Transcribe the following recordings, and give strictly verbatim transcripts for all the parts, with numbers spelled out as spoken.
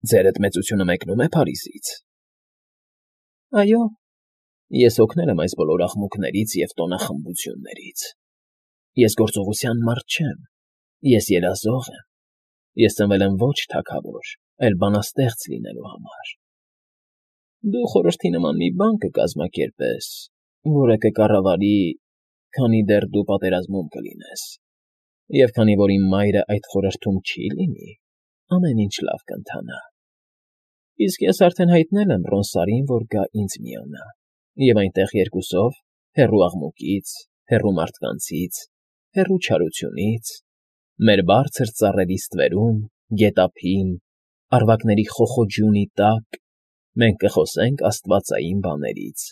Ձերդ մեծությունը մեկնում է Փարիզից։ ֊ Այո, ես օգնել եմ այս բոլոր աղմուկներից և տոնախմբություններից։ Ես գործողության մարդ չեմ, ես երազող եմ, ես ծնվել եմ ոչ թագավոր, այլ բանաստեղծ լինելու համար։ Դու խորհրդի նման մի բան կկազմակերպես, որը կկառավարի, քանի դեռ դու պատերազմում կլինես, և քանի որ իմ մայրը այդ խորհրդում չի լինի, ամեն ինչ լավ կընթանա։ Իսկ ես արդեն հայտնել եմ Ռոնսարին, որ գա ինձ միանա, և այնտեղ երկուսով, հեռու աղմուկից, հեռու մարդկանցից, հեռու չարությունից, մեր բարձր ծառերի ստվերում, գետափին, առվակների խոխոջյունի տակ, մենք կխոսենք աստվածային բաներից,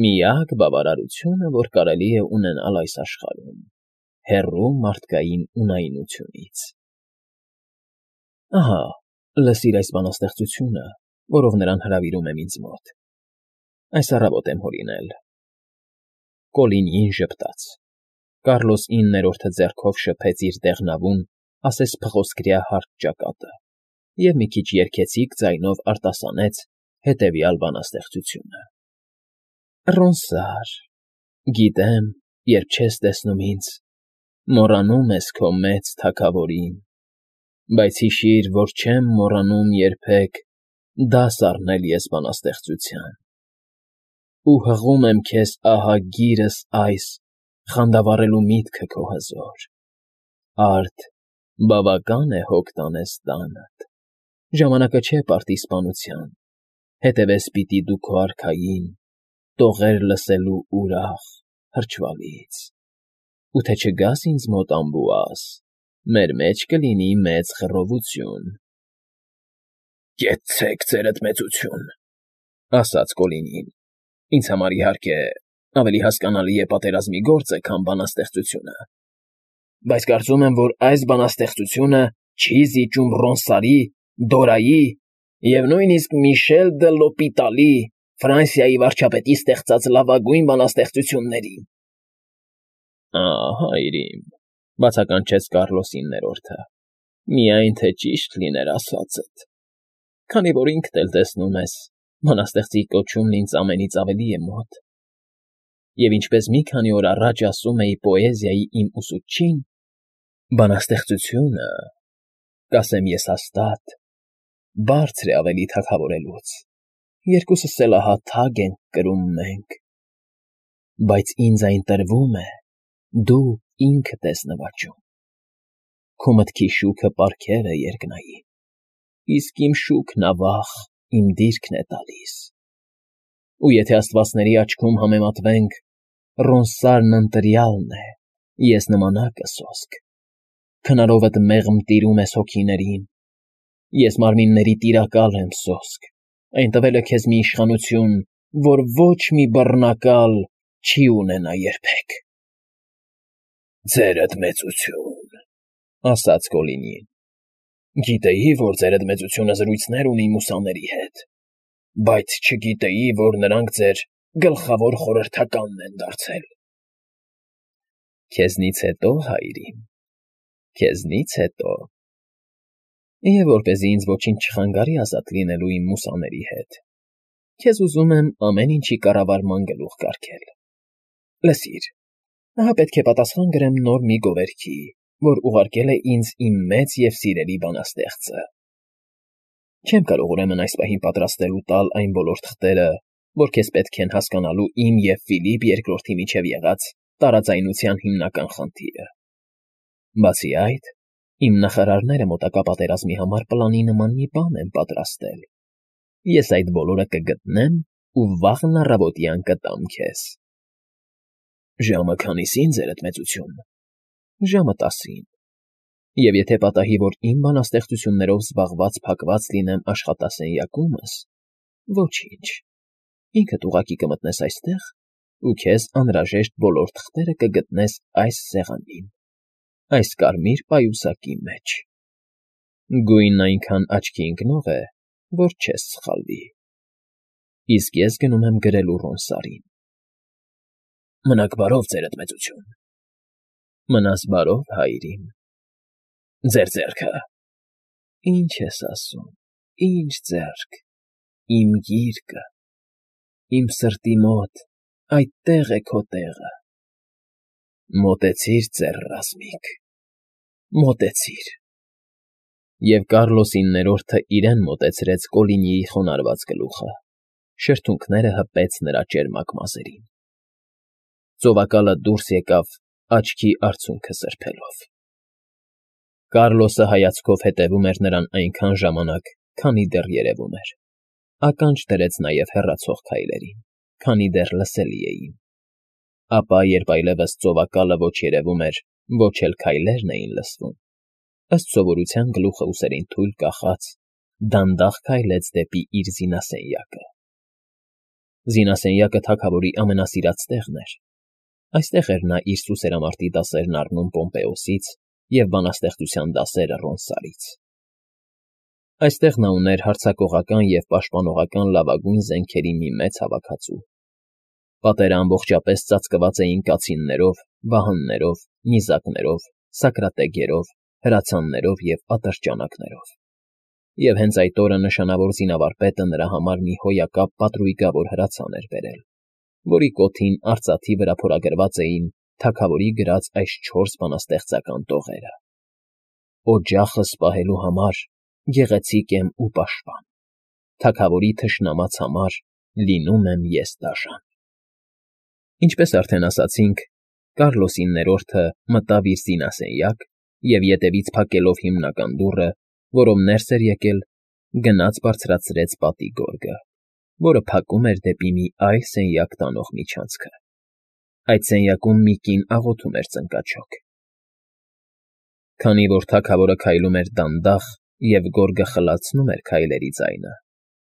միակ բավարարությունը, որ կարելի է ունենալ այս աշխարհում, հեռու մարդկային ունայնությունից։ Ահա, լսիր այս բանաստեղծությունը, որով նրան հրավիրում եմ ինձ մոտ։ Այս առավոտ եմ հորինել։ Կոլինիին ժպտաց։ Կառլոս իններորդը ձեռքով շփեց իր դեղնավուն, ասես փղոսկրյա հարթ ճակատը և մի քիչ երգեցիկ ձայնով արտասանեց հետևյալ բանաստեղծությունը. Ռոնսար, գիտեմ, երբ չես տեսնում ինձ, մոռանում ես քո մեծ թագավորին, բայց հիշիր, որ չեմ մոռանում երբեք դաս առնել ես բանաստեղծության, ու հղում եմ քեզ ահագիրս այս խանդավառելու միտքը քո հզոր, արդ բավական է հոգ տանես տանդ, ժամանակը չէ պարտիզպանության, հետևես պիտի դու քո արքային, տողեր լսելու ուրախ, հրճվալից, ու թե չգաս ինձ մոտ ամբուաս, մեր մեջ կլինի մեծ խռովություն։ ֊ Կեցցեք ձերդ մեծություն, ֊ ասաց Կոլինին, ֊ ինձ համար, իհարկե, ավելի հասկանալի է պատերազմի գործը, քան բանաստեղծությունը, բայց կարծում եմ, որ այս բանաստեղծությունը չի զիջում Ռոնսարի, Դորայի և նույնիսկ Միշել դը Լոպիտալի, Ֆրանսիայի վարչապետի ստեղծած լավագույն բանաստեղծություններին։ ֊ Ա՜, հայրիկ, ֊ բացականչեց Կառլոս իններորդը, ֊ միայն թե ճիշտ լիներ ասածդ, քանի որ ինքդ էլ տեսնում ես, բանաստեղծի կոչումն ինձ ամենից ավելի է մոտ, և ինչպես մի քանի օր առաջ ասում էի պոեզիայի իմ ուսուցչին, բանաստեղծությունը, կասեմ ես հաստատ, բարձր է ավելի թագավորելուց, երկուսս էլ ահա թագ ենք կրում մենք, բայց ինձ այն տրվում է, դու ինքդ ես նվաճում, քո մտքի շուքը պարգև է երկնային, իսկ իմ շուքն ավաղ իմ դիրքն է տալիս, ու եթե աստվածների աչքում համեմատվենք, Ռոնսարն ընտրյալն է, ես նմանակը սոսկ, քնարովդ մեղմ տիրում ես հոգիներին, ես մարմինների տիրակալ եմ սոսկ, այն տվել է քեզ մի իշխանություն, որ ոչ մի բռնակալ չի ունենա երբեք։ ֊ Ձերդ մեծություն, ֊ ասաց Կոլինին, ֊ գիտեի, որ ձերդ մեծությունը զրույցներ ունի մուսաների հետ, բայց չգիտեի, որ նրանք ձեր գլխավոր խորհրդականն են դարձել։ ֊ Քեզնից հետո, հայրիկ, քեզնից հետո… Եվ որպեսզի ինձ ոչինչ չխանգարի ազատ լինելու իմ մուսաների հետ, քեզ ուզում եմ ամեն ինչի կառավարման գլուխ կարգել։ Լսիր, ահա պետք է պատասխան գրեմ նոր մի գովերքի, որ ուղարկել է ինձ իմ մեծ և սիրելի բանաստեղծը։ Չեմ կարող ուրեմն այս պահին պատրաստել ու տալ այն բոլոր թղթերը, որ քեզ պետք են հասկանալու իմ և Ֆիլիպ երկրորդի միջև եղած տարաձայնության հիմնական խնդիրը։ Բացի այդ, իմ նախարարները մոտակա պատերազմի համար պլանի նման մի բան են պատրաստել։ Ես այդ բոլորը կգտնեմ ու վաղն առավոտյան կտամ քեզ։ ֊ Ժամը քանիսի՞ն, ձերդ մեծություն։ ֊ Ժամը տասին։ Եվ եթե պատահի, որ իմ բանաստեղծություններով զբաղված փակված լինեմ աշխատասենյակումս, ոչինչ, ինքդ ուղղակի կմտնես այստեղ ու քեզ անհրաժեշտ բոլոր թղթերը կգտնես այս սեղանին, այս կարմիր պայուսակի մեջ։ Գույնն այնքան աչքի ընկնող է, որ չես սխալվի։ Իսկ ես գնում եմ գրելու Ռոնսարին։ ֊ Մնաք բարով, ձերդ մեծություն։ ֊ Մնաս բարով, հայրիկ։ ֊ Ձեր ձեռքը… Ինչ ես ասում, ինչ ձեռք, իմ գիրկը, իմ սրտի մոտ, այդտեղ է քո տեղը, մոտեցիր, ծեր ռազմիկ, մոտեցիր… Եվ Կառլոսի ներորդը իրեն մոտեցրեց Կոլինիի խոնարհված գլուխը, շրթունքները հպեց նրա ճերմակ մազերին… Ծովակալը դուրս եկավ աչքի արցունքը սրբելով… Կառլոսը հայացքով հետևում էր նրան այնքան ժամանակ, քանի դեռ երևում էր, ականջ դրեց նաև հեռացող քայլերին, քանի դեռ լսելի էին… Ապա, երբ այլևս ծովակալը ոչ երևում էր, ոչ էլ քայլերն էին լսվում, ըստ սովորության գլուխը ուսերին թույլ կախած, դանդաղ քայլեց դեպի իր զինասենյակը… Զինասենյակը թագավորի ամենասիրած տեղն էր… Այստեղ էր նա իր սուսերամարտի դասերն առնում Պոմպեոսից և բանաստեղծության դասերը Ռոնսարից… Այստեղ նա ուներ հարձակողական և պաշտպանողական լավագույն զենքերի մի մեծ հավաքածու… Պատերը ամբողջապես ծածկված էին կացիններով, վահաններով, նիզակներով, սակրատեգերով, հրացաններով և ատրճանակներով… Եվ հենց այդ օրը նշանավոր զինավարպետը նրա համար մի հոյակապ պատրույգավոր հրացան էր բերել, որի կոթին արծաթի վրա փորագրված էին թագավորի գրած այս չորս բանաստեղծական տողերը. «Օջախս պահելու համար գեղեցիկ եմ ու պաշտպան, թագավորի թշնամած համար լինում եմ ես դաժան»… Ինչպես արդեն ասացինք, Կառլոսի ներորդը մտավ իր զինասենյակ և ետևից փակելով հիմնական դուռը, որով ներս էր եկել, գնաց բարձրացրեց պատի գորգը, որը փակում էր դեպի մի այլ սենյակ տանող միջանցքը… Այդ սենյակում մի կին աղոթում էր ծնկաչոք… Քանի որ թագավորը քայլում էր դանդաղ և գորգը խլացնում էր քայլերի ձայնը,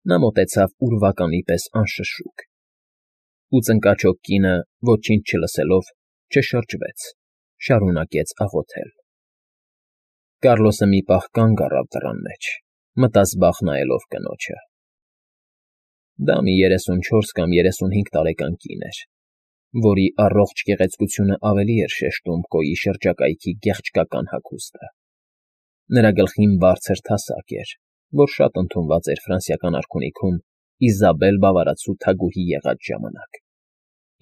նա մոտեցավ ուրվականի պես անշշուկ… Ու ծնկաչոք կինը, ոչինչ չլսելով, չշրջվեց, շարունակեց աղոթել… Կառլոսը մի պահ կանգ առավ դռան մեջ, մտազբաղ նայելով կնոջը… Դա մի երեսունչորս կամ երեսունհինգ տարեկան կին էր, որի առողջ գեղեցկությունը ավելի էր շեշտում Կոյի շրջակայքի գեղեցկական հագուստը… Նրա գլխին բարձր թասակ էր, որ շատ ընդունված էր ֆրանսիական արքունիքում Իզաբել բավարարացու թագուհի եղած ժամանակ,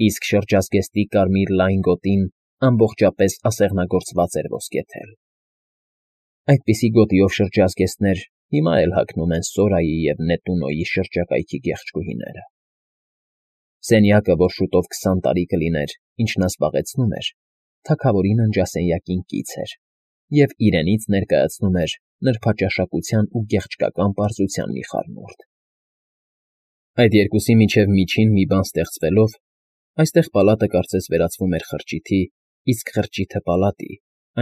իսկ շրջազգեստի կարմիր լայն գոտին ամբողջապես ասեղնագործված էր ոսկեթել… Այդպիսի գոտիով շրջազգեստներ հիմա էլ հագնում են Սորայի և Նետունոյի շրջակայքի գեղչկուհիները… Սենյակը, որ շուտով քսան տարի կլիներ, ինչ նա զբաղեցնում էր, թագավորի ննջասենյակին կից էր և իրենից ներկայացնում էր նրբաճաշակության ու գեղեցկական պարզության մի խառնուրդ… Այդ երկուսի միջև միջին մի բան ստեղծվելով, այստեղ պալատը կարծես վերածվում էր խրճիթի, իսկ խրճիթը՝ պալատի,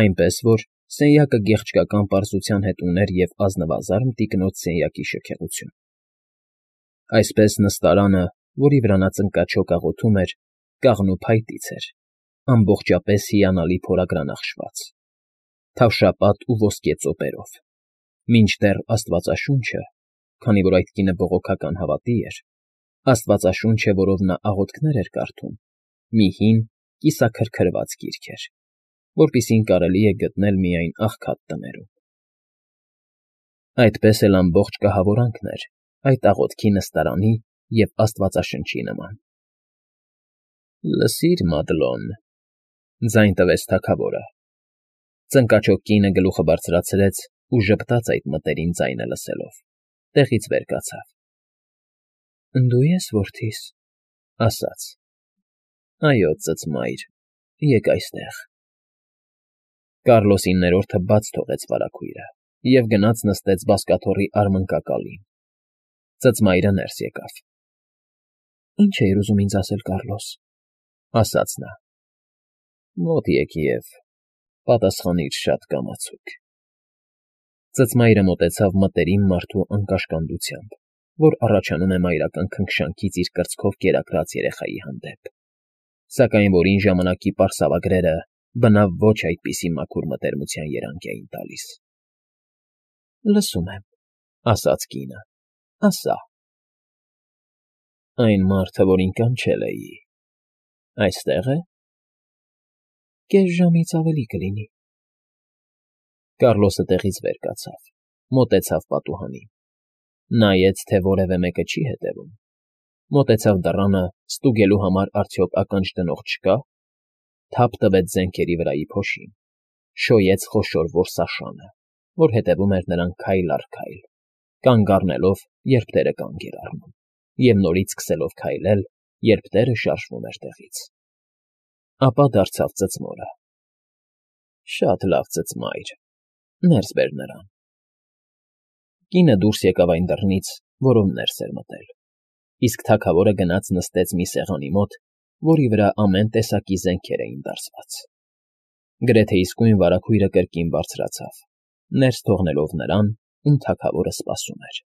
այնպես որ սենյակը գեղեցկական պարզության հետ ուներ և ազնվազարդ տիկնոջ սենյակի շքեղություն… Այսպես նստարանը, որի վրա նա ծնկաչոք աղոթում էր, կաղնու փայտից էր, ամբողջապես հիանալի փորագրանախշված, թավշապատ ու ոսկե ծոպերով, մինչդեռ աստվածաշունչը, քանի որ այդ կինը բողոքական հավատի էր, աստվածաշունչը, որով նա աղոթքներ էր կարդում, մի հին, կիսաքրքրված գիրք էր, որպիսին կարելի է գտնել միայն աղքատ տներում… Այդպես էլ ամբողջ կահավորանքն էր այդ աղոթքի նստարանի և աստվածաշնչի նման… ֊ Լսիր, Մադլոն,֊ ձայն տվեց թագավորը… Ծնկաչոք կինը գլուխը բարձրացրեց ու ժպտաց այդ մտերիմ ձայնը լսելով, տեղից վեր կացավ… Դու ե՞ս, որդիս,֊ ասաց… Այո, ծծմայր, եկ այստեղ… Կառլոսի ներորդը բաց թողեց վարագույրը և գնաց նստեց բազկաթոռի արմնկակալին… Ծծմայրը ներս եկավ… ֊ Ի՞նչ էիր ուզում ինձ ասել, Կառլոս,֊ ասաց նա… Մոտ եկ և պատասխանիր շատ կամացուկ… Ծծմայրը մոտեցավ մտերիմ մարդու անկաշկանդությամբ, որ առաջանում է մայրական քնքշանքից իր կրծքով կերակրած երեխայի հանդեպ, սակայն որին ժամանակի պարսավագրերը բնավ ոչ այդպիսի մաքուր մտերմության երանգ էին տալիս… ֊ Լսում եմ,֊ ասաց կինը,֊ ասա… ֊ Այն մարդը, որին կանչել էի… այստե՞ղ է… Կես ժամից ավելի կլինի… Կառլոսը տեղից վեր կացավ, մոտեցավ պատուհանին… Նայեց, թե որևէ մեկը չի հետևում, մոտեցավ դռանը՝ ստուգելու համար արդյոք ականջ դնող չկա, թափ տվեց զենքերի վրայի փոշին, շոյեց խոշոր որսաշանը, որ հետևում էր նրան քայլ առ քայլ, կանգ առնելով, երբ տերը կանգ էր առնում, և նորից սկսելով քայլել, երբ տերը շարժվում էր տեղից, ապա դարձավ ծծմորը։ ֊ Շատ լավ, ծծմայր, ներս բեր նրան։ Կինը դուրս եկավ այն դռնից, որով ներս էր մտել, իսկ թագավորը գնաց նստեց մի սեղանի մոտ, որի վրա ամեն տեսակի զենքեր էին դարսված։ Գրեթե իսկույն վարագույրը կրկին բարձրացավ, ներս թողնելով նրան, ում թագավորը սպասում էր։